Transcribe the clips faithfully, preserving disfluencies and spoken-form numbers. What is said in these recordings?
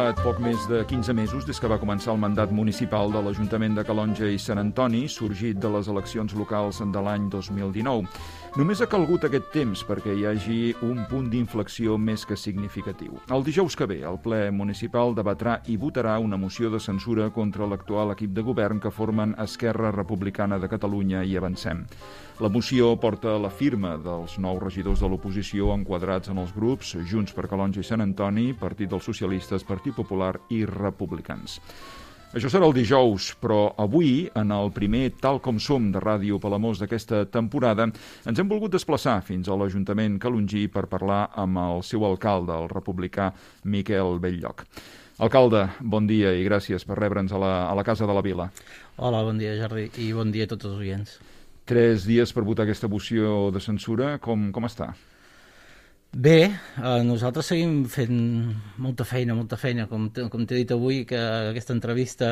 passat poc més de quinze mesos des que va començar el mandat municipal de l'Ajuntament de Calonge i Sant Antoni, sorgit de les eleccions locals de l'any dos mil dinou. Només ha calgut aquest temps perquè hi hagi un punt d'inflexió més que significatiu. El dijous que ve, el ple municipal debatrà i votarà una moció de censura contra l'actual equip de govern que formen Esquerra Republicana de Catalunya i Avancem. La moció porta la firma dels nou regidors de l'oposició enquadrats en els grups Junts per Calonge i Sant Antoni, Partit dels Socialistes, Partit Popular i Republicans. Això serà el dijous, però avui, en el primer Tal com som de Ràdio Palamós d'aquesta temporada, ens hem volgut desplaçar fins a l'Ajuntament calongí per parlar amb el seu alcalde, el republicà Miquel Belllloc. Alcalde, bon dia i gràcies per rebre'ns a la, a la Casa de la Vila. Hola, bon dia, Jordi, i bon dia a tots els oients. Tres dies per votar aquesta moció de censura. Com, com està? Bé, eh, nosaltres seguim fent molta feina, molta feina, com, com t'he dit avui, que aquesta entrevista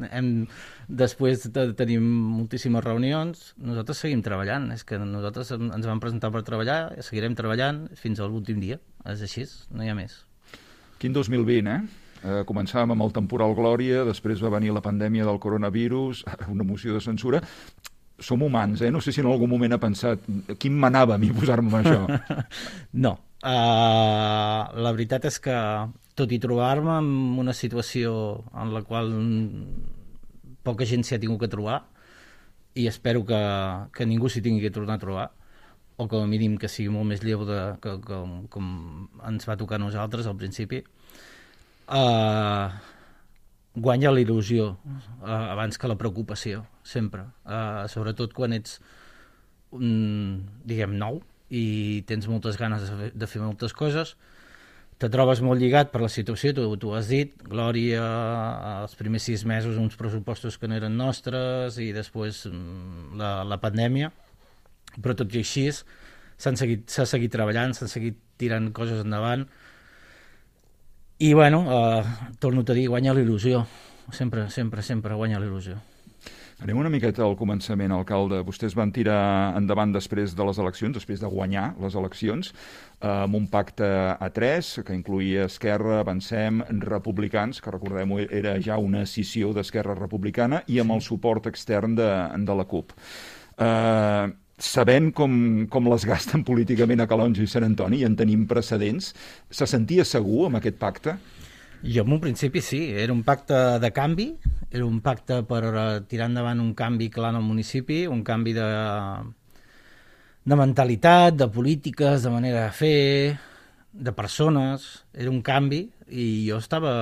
hem, després de tenir moltíssimes reunions, nosaltres seguim treballant, és que nosaltres ens vam presentar per treballar, seguirem treballant fins a l'últim dia, és així, no hi ha més. Quin dos mil vint, eh? eh? Començàvem amb el temporal Glòria, després va venir la pandèmia del coronavirus, una moció de censura. Som humans, eh? No sé si en algun moment ha pensat quin manava a mi posar-me amb això. No. Uh, la veritat és que, tot i trobar-me en una situació en la qual poca gent s'hi ha tingut que trobar, i espero que, que ningú s'hi tingui que tornar a trobar, o com a mínim que sigui molt més lleu de, que, que, com ens va tocar a nosaltres al principi, uh, guanya la il·lusió uh, abans que la preocupació, sempre. Uh, sobretot quan ets, um, diguem, nou i tens moltes ganes de fer, de fer moltes coses, te trobes molt lligat per la situació, tu, tu has dit, Glòria, els primers sis mesos uns pressupostos que no eren nostres i després um, la, la pandèmia, però tot i així s'han seguit, s'ha seguit treballant, s'han seguit tirant coses endavant. I, bueno, eh, torno a dir, guanya la il·lusió. Sempre, sempre, sempre guanya la il·lusió. Anem una miqueta al començament, alcalde. Vostès van tirar endavant després de les eleccions, després de guanyar les eleccions, eh, amb un pacte a tres, que incluïa Esquerra, Avancem, Republicans, que recordem era ja una escissió d'Esquerra Republicana, i amb el suport extern de, de la CUP. Eh... Sabent com, com les gasten políticament a Calonge i Sant Antoni, i en tenim precedents, se sentia segur amb aquest pacte? Jo en un principi sí, era un pacte de canvi, era un pacte per tirar endavant un canvi clar en el municipi, un canvi de, de mentalitat, de polítiques, de manera de fer, de persones, era un canvi, i jo estava,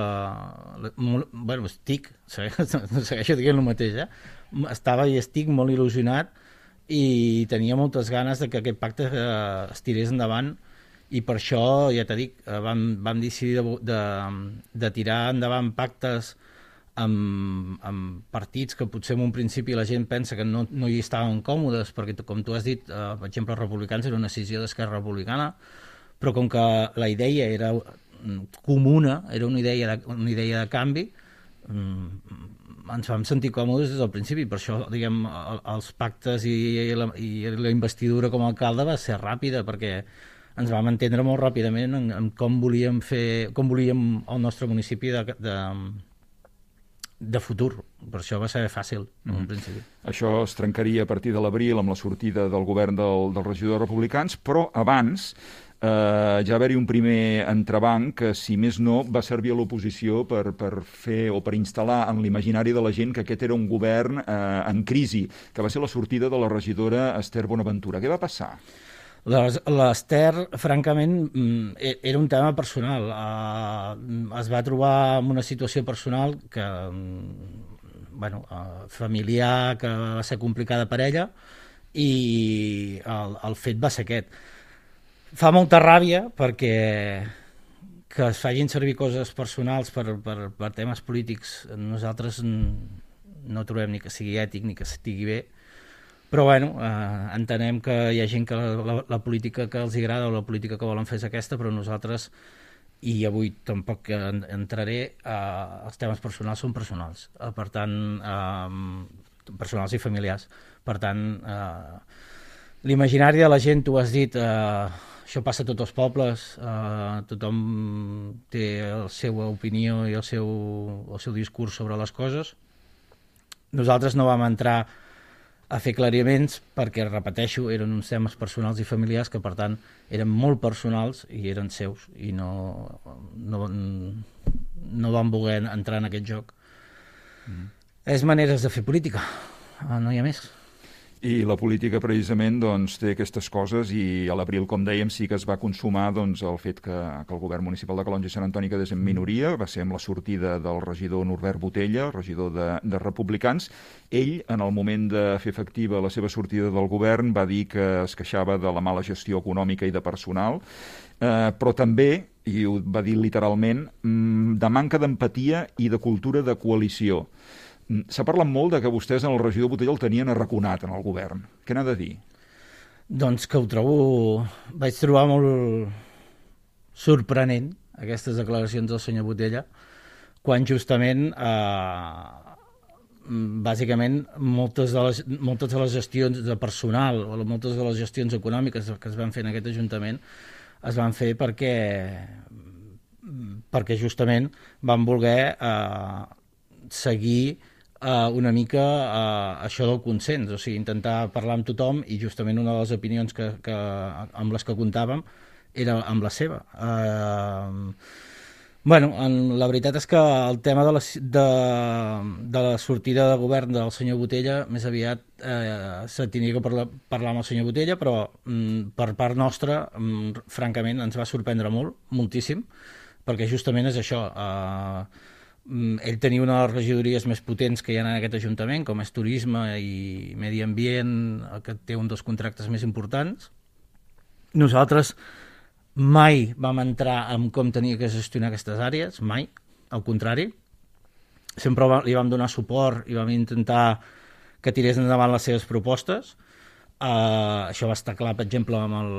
molt, bueno, estic, segueixo dient el mateix, eh? Estava i estic molt il·lusionat, i tenia moltes ganes de que aquest pacte eh, es tirés endavant, i per això, ja t'he dit, eh, vam, vam decidir de, de, de tirar endavant pactes amb, amb partits que potser en un principi la gent pensa que no, no hi estaven còmodes, perquè com tu has dit, eh, per exemple, els republicans era una decisió d'Esquerra Republicana, però com que la idea era comuna, era una idea de, una idea de canvi, ens vam sentir còmodes des del principi. Per això, diguem, els pactes i la, i la investidura com a alcalde va ser ràpida, perquè ens vam entendre molt ràpidament en, en com volíem fer, com volíem el nostre municipi de, de, de futur. Per això va ser fàcil, en un principi. Això es trencaria a partir de l'abril amb la sortida del govern del, dels regidors republicans, però abans Uh, ja va haver-hi un primer entrebanc que, si més no, va servir a l'oposició per, per fer o per instal·lar en l'imaginari de la gent que aquest era un govern uh, en crisi, que va ser la sortida de la regidora Esther Bonaventura. Què va passar? L'Esther, francament, era un tema personal. Uh, es va trobar en una situació personal que, bueno, uh, familiar, que va ser complicada per ella, i el, el fet va ser aquest. Fa molta ràbia perquè que es facin servir coses personals per, per, per temes polítics. Nosaltres no trobem ni que sigui ètic ni que estigui bé, però bueno, eh, entenem que hi ha gent que la, la, la política que els agrada o la política que volen fer és aquesta, però nosaltres, i avui tampoc entraré, eh, els temes personals són personals, eh, per tant, eh, personals i familiars, per tant, eh, l'imaginari de la gent, tu has dit, eh, això passa a tots els pobles, eh, tothom té la seva opinió i el seu, el seu discurs sobre les coses. Nosaltres no vam entrar a fer clariaments perquè, repeteixo, eren uns temes personals i familiars que, per tant, eren molt personals i eren seus i no, no, no van voler entrar en aquest joc. Mm. És maneres de fer política, no hi ha més. I la política, precisament, doncs, té aquestes coses i a l'abril, com dèiem, sí que es va consumar doncs, el fet que, que el govern municipal de Calonge i Sant Antoni quedés en minoria. Va ser amb la sortida del regidor Norbert Botella, regidor de, de Republicans. Ell, en el moment de fer efectiva la seva sortida del govern, va dir que es queixava de la mala gestió econòmica i de personal, eh, però també, i ho va dir literalment, de manca d'empatia i de cultura de coalició. S'ha parlat molt de que vostès en el regidor Botella el tenien arraconat en el govern. Què n'ha de dir? Doncs que ho trobo... Vaig trobar molt sorprenent aquestes declaracions del senyor Botella, quan justament, eh, bàsicament, moltes de, les, moltes de les gestions de personal o moltes de les gestions econòmiques que es van fer en aquest Ajuntament es van fer perquè, perquè justament van voler eh, seguir Uh, una mica uh, això del consens, o sigui, intentar parlar amb tothom i justament una de les opinions que, que, amb les que comptàvem era amb la seva. Uh, bueno, en, la veritat és que el tema de la, de, de la sortida de govern del senyor Botella més aviat uh, se tenia que parlar, parlar amb el senyor Botella, però um, per part nostra, um, francament, ens va sorprendre molt, moltíssim, perquè justament és això... Uh, ell tenia una de les regidories més potents que hi ha en aquest Ajuntament, com és Turisme i Medi Ambient, que té un dels contractes més importants. Nosaltres mai vam entrar en com tenia que gestionar aquestes àrees, mai, al contrari. Sempre li vam donar suport i vam intentar que tirés endavant les seves propostes. Uh, això va estar clar, per exemple, amb el,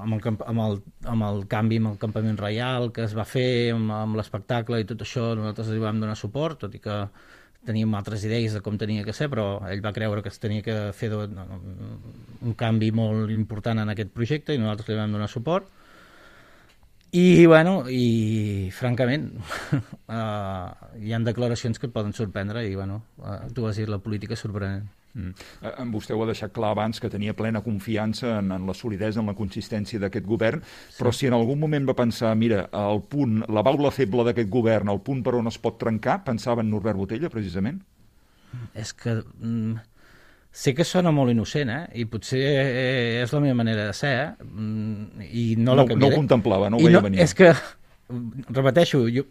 amb, el, amb, el, amb el canvi amb el campament reial que es va fer, amb, amb l'espectacle i tot això, nosaltres li vam donar suport, tot i que teníem altres idees de com tenia que ser, però ell va creure que es tenia que fer de, un canvi molt important en aquest projecte i nosaltres li vam donar suport. I, bueno, i francament, uh, hi ha declaracions que et poden sorprendre i, bueno, uh, tu has dit la política sorprenent. Mm. Eh, vostè ho ha deixat clar abans que tenia plena confiança en, en la solidesa, en la consistència d'aquest govern, sí. Però si en algun moment va pensar, mira, el punt, la baula feble d'aquest govern, el punt per on es pot trencar, pensava en Norbert Botella, precisament? És que mm, sé que sona molt innocent, eh? I potser és la meva manera de ser, eh? Mm, i no la canviaré. No ho contemplava, no ho veia no, venir. És que, repeteixo, jo,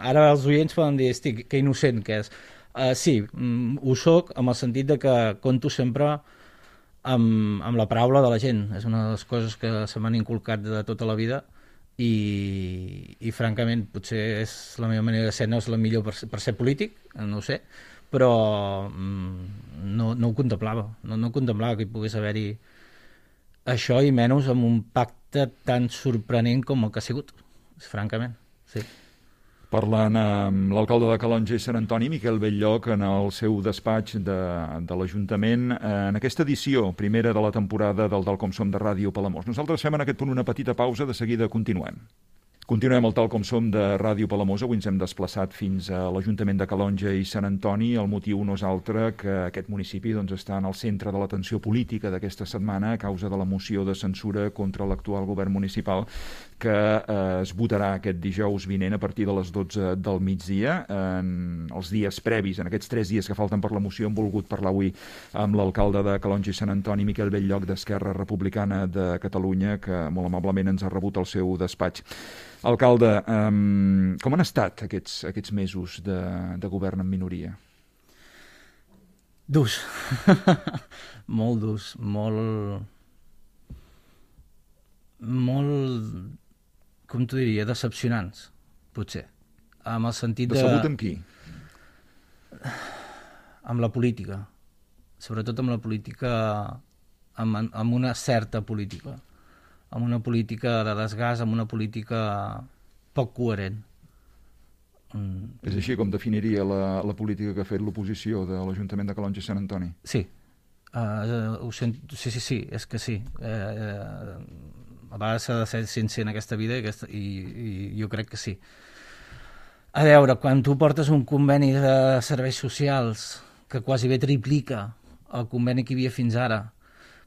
ara els oients poden dir, estic, que innocent que és. Uh, sí, um, ho soc amb el sentit de que conto sempre amb, amb la paraula de la gent. És una de les coses que se m'han inculcat de tota la vida i, i francament potser és la meva manera de ser, no és la millor per, per ser polític, no ho sé, però um, no, no ho contemplava, no, no contemplava que hi pogués haver-hi això i menys amb un pacte tan sorprenent com el que ha sigut, francament, sí. Parlant amb l'alcalde de Calonge i Sant Antoni, Miquel Belllloc, en el seu despatx de, de l'Ajuntament, en aquesta edició primera de la temporada del Tal Com Som de Ràdio Palamós. Nosaltres fem en aquest punt una petita pausa, de seguida continuem. Continuem el Tal Com Som de Ràdio Palamós. Avui ens hem desplaçat fins a l'Ajuntament de Calonge i Sant Antoni. El motiu no és altre que aquest municipi doncs, està en el centre de l'atenció política d'aquesta setmana a causa de la moció de censura contra l'actual govern municipal que eh, es votarà aquest dijous vinent a partir de les dotze del migdia. En els dies previs, en aquests tres dies que falten per la moció, hem volgut parlar avui amb l'alcalde de Calonge i Sant Antoni, Miquel Belllloc, d'Esquerra Republicana de Catalunya, que molt amablement ens ha rebut al seu despatx. Alcalde, um, com han estat aquests, aquests mesos de, de govern en minoria? Durs. Molt durs, molt... molt... com t'ho diria, decepcionants, potser. Amb el sentit de... Decebut amb qui? Amb la política. Sobretot amb la política... amb, amb una certa política. Amb una política de desgast, amb una política poc coherent. Mm. És així com definiria la, la política que ha fet l'oposició de l'Ajuntament de Calonge i Sant Antoni? Sí. Uh, ho sento, sí, sí, sí, és que sí. Uh, uh, a vegades s'ha de ser sincer en aquesta vida i, aquesta, i, i jo crec que sí. A veure, quan tu portes un conveni de serveis socials que quasi bé triplica el conveni que hi havia fins ara,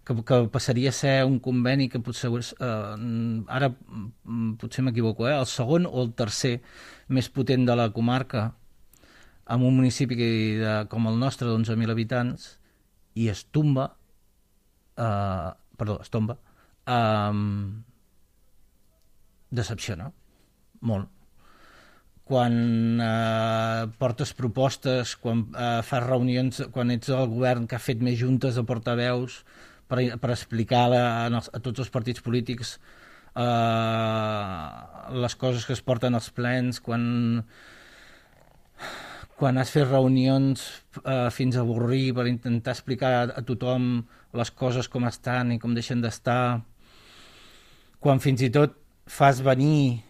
que, que passaria a ser un conveni que potser, eh, ara potser m'equivoco, eh, el segon o el tercer més potent de la comarca, en un municipi de, com el nostre, d'onze mil habitants, i es tomba, eh, perdó, es tomba, eh, decepciona molt. Quan eh, portes propostes, quan eh, fas reunions, quan ets el govern que ha fet més juntes de portaveus per, per explicar a, a, a tots els partits polítics eh, les coses que es porten als plens, quan quan has fet reunions eh, fins a avorrir per intentar explicar a, a tothom les coses com estan i com deixen d'estar, quan fins i tot fas venir,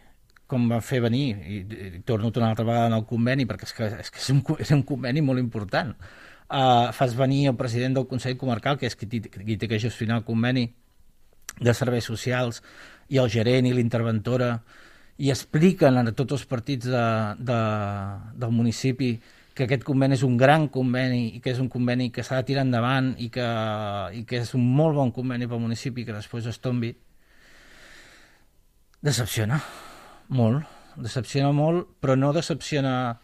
com van fer venir, i, i torno una altra vegada en el conveni, perquè és que és, que és, un, és un conveni molt important, uh, fas venir el president del Consell Comarcal, que és qui, qui té que gestionar el conveni de serveis socials, i el gerent i l'interventora, i expliquen a tots els partits de, de, del municipi que aquest conveni és un gran conveni i que és un conveni que s'ha de tirar endavant i que, i que és un molt bon conveni pel municipi que després es tombi. Decepciona molt, decepciona molt, però no decepciona,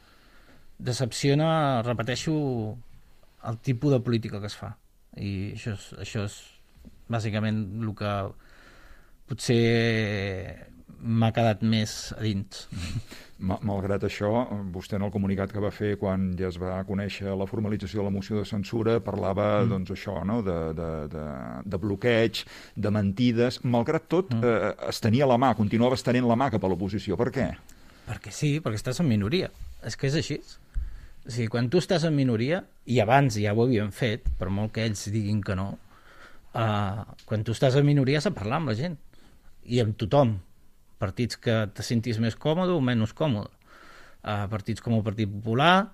decepciona, repeteixo, el tipus de política que es fa. I això és, això és bàsicament el que potser m'ha quedat més a dins. Malgrat això, vostè en el comunicat que va fer quan ja es va conèixer la formalització de la moció de censura parlava, mm. doncs, això, no?, de, de, de, de bloqueig, de mentides. Malgrat tot, mm. eh, es tenia la mà, continuava estenent la mà cap a l'oposició. Per què? Perquè sí, perquè estàs en minoria. És que és així. O sigui, quan tu estàs en minoria, i abans ja ho havíem fet, per molt que ells diguin que no, eh, quan tu estàs en minoria has de parlar amb la gent. I amb tothom. Partits que te sentis més còmode o menys còmode. Uh, partits com el Partit Popular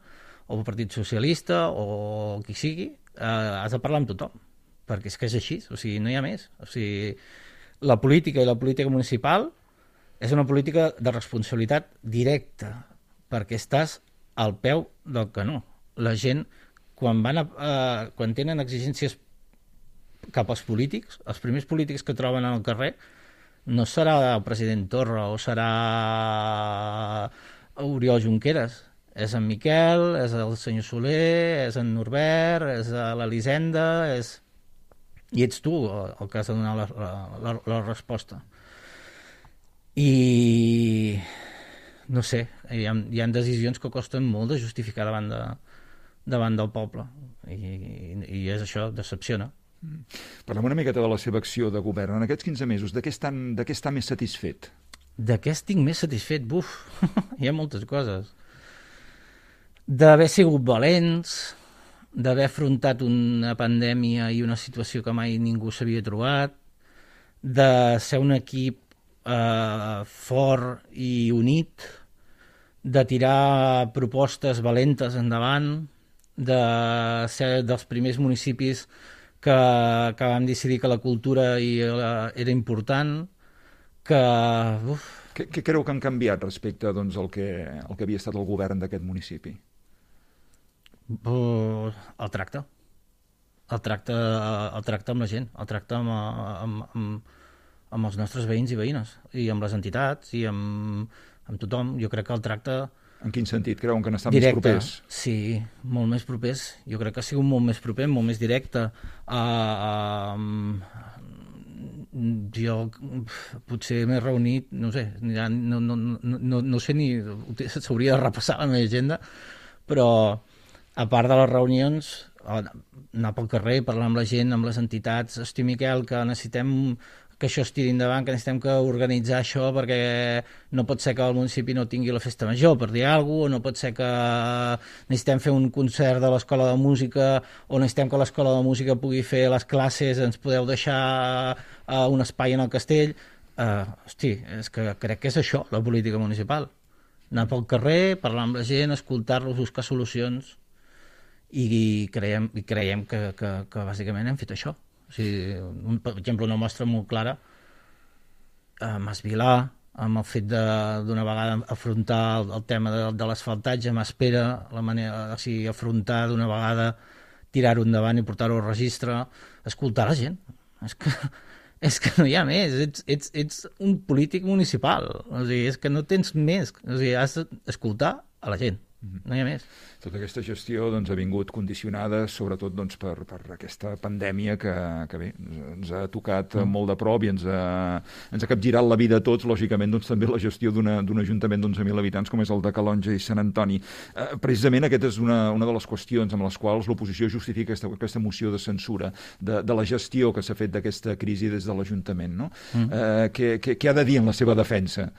o el Partit Socialista o qui sigui, uh, has de parlar amb tothom, perquè és que és així, o sigui, no hi ha més. O sigui, la política i la política municipal és una política de responsabilitat directa, perquè estàs al peu del canó. La gent, quan, van a, uh, quan tenen exigències cap als polítics, els primers polítics que troben al carrer no serà el president Torra o serà Oriol Junqueras. És en Miquel, és el senyor Soler, és en Norbert, és l'Elisenda, és... i ets tu el que has de donar la, la, la resposta. I no sé, hi ha, hi ha decisions que costen molt de justificar davant, de, davant del poble. I, i és això, decepciona. Parlem una miqueta de la seva acció de govern. En aquests quinze mesos, de què està, de què està més satisfet? De què estic més satisfet? Buf, hi ha moltes coses. D'haver sigut valents, d'haver afrontat una pandèmia i una situació que mai ningú s'havia trobat, de ser un equip eh, fort i unit, de tirar propostes valentes endavant, de ser dels primers municipis que, que vam decidir que la cultura i, uh, era important, que... Uf. Què, què creu que han canviat respecte, doncs, al que, al que havia estat el govern d'aquest municipi? Uh, el tracte. El tracte, el tracte amb la gent, el tracte amb, amb, amb, amb els nostres veïns i veïnes, i amb les entitats, i amb, amb tothom. Jo crec que el tracte... En quin sentit? Creuen que n'estan directe, més propers? Sí, molt més propers. Jo crec que ha sigut molt més proper, molt més directe. Uh, uh, jo potser m'he reunit, no sé, ja no, no, no, no sé ni... S'hauria de repassar la meva agenda, però a part de les reunions, anar pel carrer, parlar amb la gent, amb les entitats, hosti, Miquel, que necessitem que això es tiri endavant, que necessitem que organitzar això perquè no pot ser que el municipi no tingui la festa major, per dir alguna cosa, o no pot ser que necessitem fer un concert de l'escola de música, o necessitem que l'escola de música pugui fer les classes, ens podeu deixar uh, un espai en el castell. Uh, hosti, és que crec que és això, la política municipal. Anar pel carrer, parlar amb la gent, escoltar-los, buscar solucions, i creiem, i creiem que, que, que bàsicament hem fet això. O sigui, un, per exemple, una mostra molt clara a Masvilà, amb el fet d'una vegada afrontar el, el tema de, de l'asfaltatge, m'espera la manera, o sigui, afrontar d'una vegada, tirar-ho endavant i portar-ho al registre, escoltar la gent. És que, és que no hi ha més, ets, ets, ets un polític municipal, o sigui, és que no tens més, o sigui, has d'escoltar a la gent. No hi ha més. Tota aquesta gestió doncs, ha vingut condicionada sobretot doncs, per, per aquesta pandèmia que, que bé, ens ha tocat mm. molt de prop i ens ha, ens ha capgirat la vida a tots, lògicament doncs, també la gestió d'un ajuntament d'onze mil habitants com és el de Calonge i Sant Antoni. Eh, precisament aquesta és una, una de les qüestions amb les quals l'oposició justifica aquesta, aquesta moció de censura de, de la gestió que s'ha fet d'aquesta crisi des de l'Ajuntament. No? Mm. Eh, què, què, què ha de dir en la seva defensa?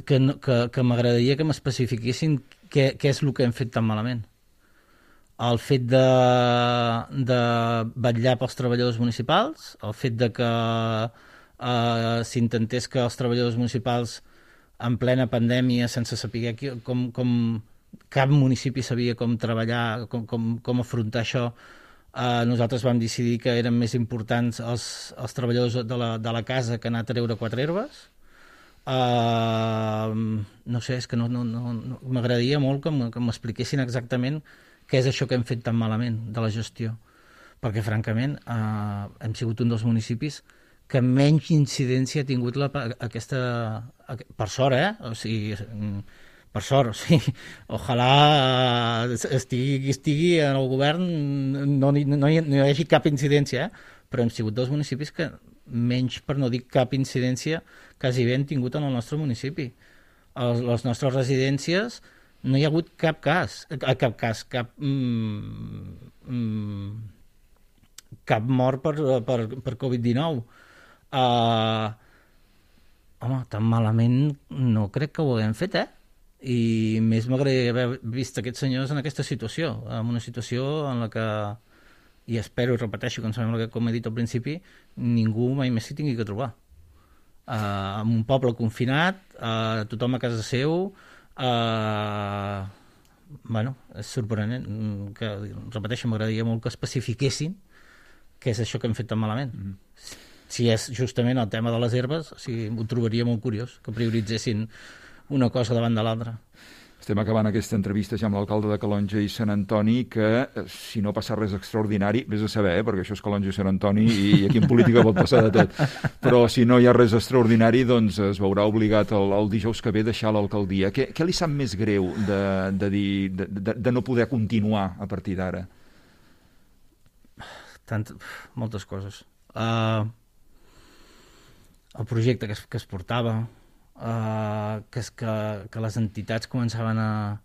Que, no, que, que m'agradaria que m'especifiquessin què, què és el que hem fet tan malament. El fet de, de vetllar pels treballadors municipals, el fet de que eh, s'intentés que els treballadors municipals en plena pandèmia, sense saber com, com cap municipi sabia com treballar, com, com, com afrontar això, eh, nosaltres vam decidir que eren més importants els, els treballadors de la, de la casa que anar a treure quatre herbes. Uh, no sé, és que no, no, no, no, m'agradaria molt que m'expliquessin exactament què és això que hem fet tan malament de la gestió, perquè francament uh, hem sigut un dels municipis que menys incidència ha tingut la, aquesta, per sort, eh? O sigui, per sort, o sigui, ojalà estigui, estigui en el govern, no, no, no, hi, no hi hagi cap incidència, eh? Però hem sigut dels municipis que menys, per no dir cap incidència, quasi bé han tingut en el nostre municipi. A les nostres residències no hi ha hagut cap cas, cap cas, cap, mm, mm, cap mort per, per, per covid dinou. Uh, home, tan malament no crec que ho haguem fet, eh? I més m'agradaria haver vist aquests senyors en aquesta situació, en una situació en la que, i espero i repeteixo, que em sembla que, com he dit al principi, ningú mai més s'hi tingui que trobar. Uh, en un poble confinat, uh, tothom a casa seu, uh, bueno, és sorprenent, que, repeteixo, m'agradaria molt que especifiquessin què és això que hem fet tan malament. Mm. Si és justament el tema de les herbes, o sigui, ho trobaria molt curiós, que prioritzessin una cosa davant de l'altra. Estem acabant aquesta entrevista ja amb l'alcalde de Calonge i Sant Antoni, que si no passa res extraordinari, vés a saber, eh, perquè això és Calonge i Sant Antoni i aquí en política pot passar de tot, però si no hi ha res extraordinari, doncs es veurà obligat el, el dijous que ve a deixar l'alcaldia. Què, què li sap més greu de, de, dir, de, de, de no poder continuar a partir d'ara? Tant, moltes coses. Uh, el projecte que es, que es portava, Uh, que, és que, que les entitats començaven a,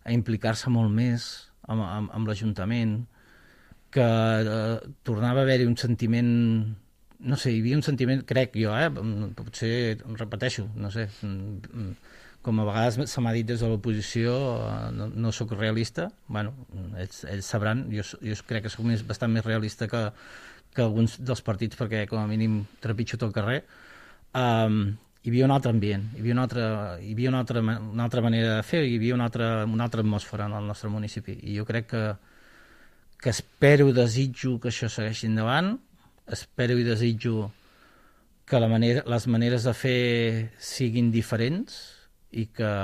a implicar-se molt més amb, amb, amb l'Ajuntament, que uh, tornava a haver-hi un sentiment, no sé, hi havia un sentiment, crec jo, eh, potser repeteixo, no sé, com a vegades se m'ha dit des de l'oposició, uh, no, no sóc realista, bueno, ells, ells sabran, jo, jo crec que sóc més, bastant més realista que, que alguns dels partits, perquè com a mínim trepitjo tot el carrer. um, hi havia un altre ambient, hi havia una altra, hi havia una altra, una altra manera de fer, hi havia una altra, una altra atmosfera en el nostre municipi. I jo crec que, que espero i desitjo que això segueixi endavant, espero i desitjo que la manera, les maneres de fer siguin diferents i que,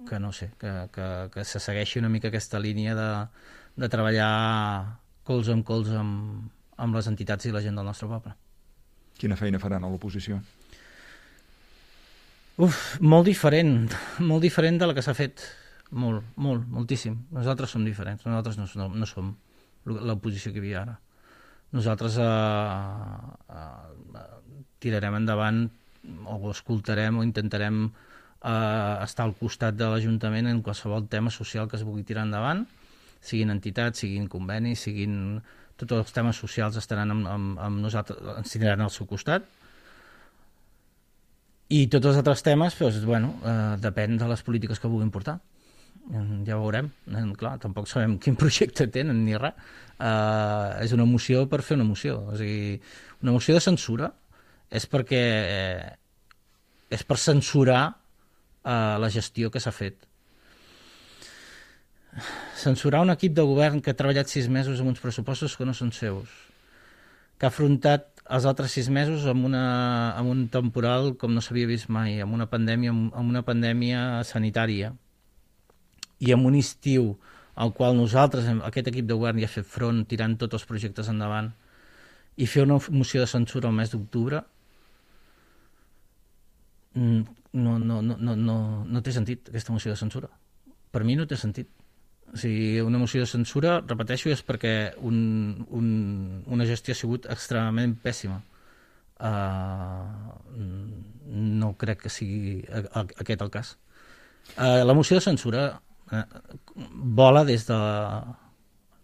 que no sé, que, que, que se segueixi una mica aquesta línia de, de treballar colze amb colze amb, amb les entitats i la gent del nostre poble. Quina feina faran a l'oposició? Uf, molt diferent, molt diferent de la que s'ha fet, molt, molt, moltíssim. Nosaltres som diferents, nosaltres no, no, no som l'oposició que hi havia ara. Nosaltres eh, eh, tirarem endavant o escoltarem o intentarem eh, estar al costat de l'Ajuntament en qualsevol tema social que es vulgui tirar endavant, siguin entitats, siguin convenis, siguin... Tots els temes socials estaran amb, amb, amb nosaltres, ens tindran al seu costat. I tots els altres temes, doncs, bueno, eh, depèn de les polítiques que vulguin portar. Ja ho veurem. Eh, clar, tampoc sabem quin projecte tenen ni res. Eh, és una moció per fer una moció. O sigui, una moció de censura és perquè eh, és per censurar eh, la gestió que s'ha fet. Censurar un equip de govern que ha treballat sis mesos amb uns pressupostos que no són seus, que ha afrontat els altres sis mesos amb, una, amb un temporal com no s'havia vist mai, amb una pandèmia, amb una pandèmia sanitària i amb un estiu al qual nosaltres, aquest equip de govern, ja ha fet front tirant tots els projectes endavant, i fer una moció de censura al mes d'octubre no, no, no, no, no, no té sentit, aquesta moció de censura. Per mi no té sentit. O sigui, una moció de censura, repeteixo, és perquè un, un, una gestió ha sigut extremadament pèssima. Uh, no crec que sigui aquest el cas. Uh, la moció de censura uh, vola des de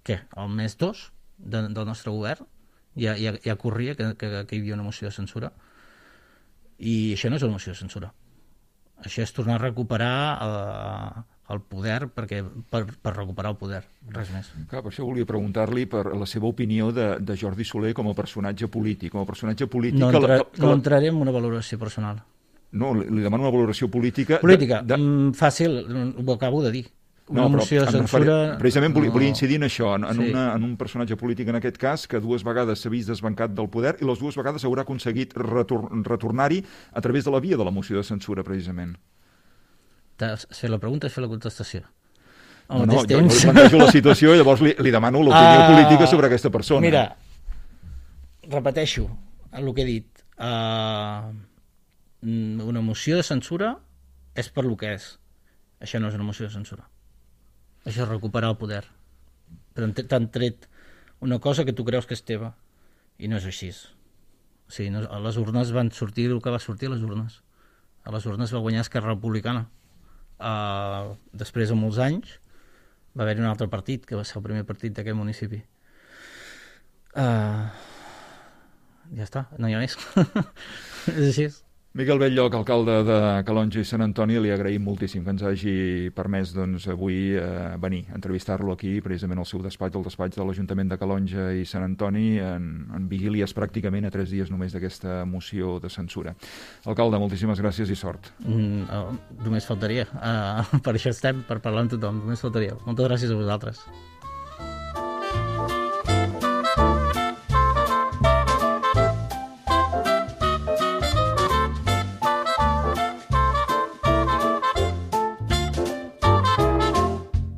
què? El mes dos de, del nostre govern. Ja, ja, ja corria que, que, que hi havia una moció de censura. I això no és una moció de censura. Això és tornar a recuperar Uh, el poder, perquè per, per recuperar el poder, res més. Clar, per això volia preguntar-li per la seva opinió de, de Jordi Soler com a personatge polític. Com a personatge polític... No, entra, que la, que no la... entraré en una valoració personal. No, li, li demano una valoració política... Política, de, de... Mm, fàcil, ho acabo de dir. Una no, moció de censura... Referia, precisament volia, no... volia incidir en això, en, en, sí. una, en un personatge polític en aquest cas que dues vegades s'ha vist desbancat del poder i les dues vegades haurà aconseguit retor retornar-hi a través de la via de la moció de censura, precisament. T'has fet la pregunta i has fet la contestació. No, no, jo, jo plantejo la situació i llavors li, li demano l'opinió uh, política sobre aquesta persona. Mira, repeteixo el que he dit. Uh, una moció de censura és per lo que és. Això no és una moció de censura. Això és recuperar el poder. Però t'han tret una cosa que tu creus que és teva i no és així. O sigui, no, a les urnes van sortir el que va sortir a les urnes. A les urnes va guanyar Esquerra Republicana. Uh, després de molts anys va haver-hi un altre partit, que va ser el primer partit d'aquest municipi. Uh, ja està, no hi ha més. És així. Miquel Bell-lloc, alcalde de Calonge i Sant Antoni, li agraïm moltíssim que ens hagi permès doncs, avui eh, venir a entrevistar-lo aquí, precisament al seu despatx, al despatx de l'Ajuntament de Calonge i Sant Antoni, en, en vigílies pràcticament a tres dies només d'aquesta moció de censura. Alcalde, moltíssimes gràcies i sort. Mm, oh, només faltaria. Uh, per això estem, per parlar amb tothom. Només faltaria. Moltes gràcies a vosaltres.